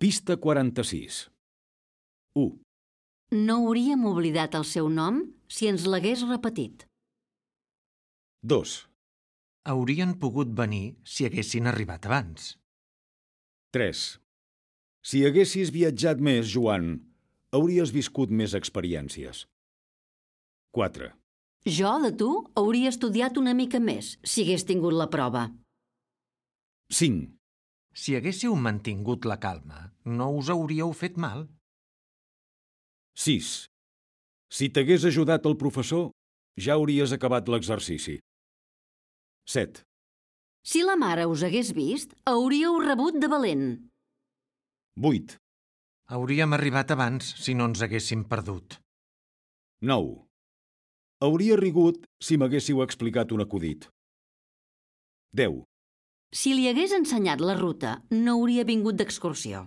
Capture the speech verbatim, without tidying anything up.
Pista quaranta-sis. u. No hauríem oblidat el seu nom si ens l'hagués repetit. dos. Haurien pogut venir si haguessin arribat abans. tres. Si haguessis viatjat més, Joan, hauries viscut més experiències. quatre. Jo, de tu, hauria estudiat una mica més si hagués tingut la prova. cinc. Si haguéssiu mantingut la calma, no us hauríeu fet mal. sis. Si t'hagués ajudat el professor, ja hauries acabat l'exercici. set. Si la mare us hagués vist, hauríeu rebut de valent. vuit. Hauríem arribat abans si no ens haguéssim perdut. nou. Hauria rigut si m'haguéssiu explicat un acudit. deu. Si li hagués ensenyat la ruta, no hauria vingut d'excursió.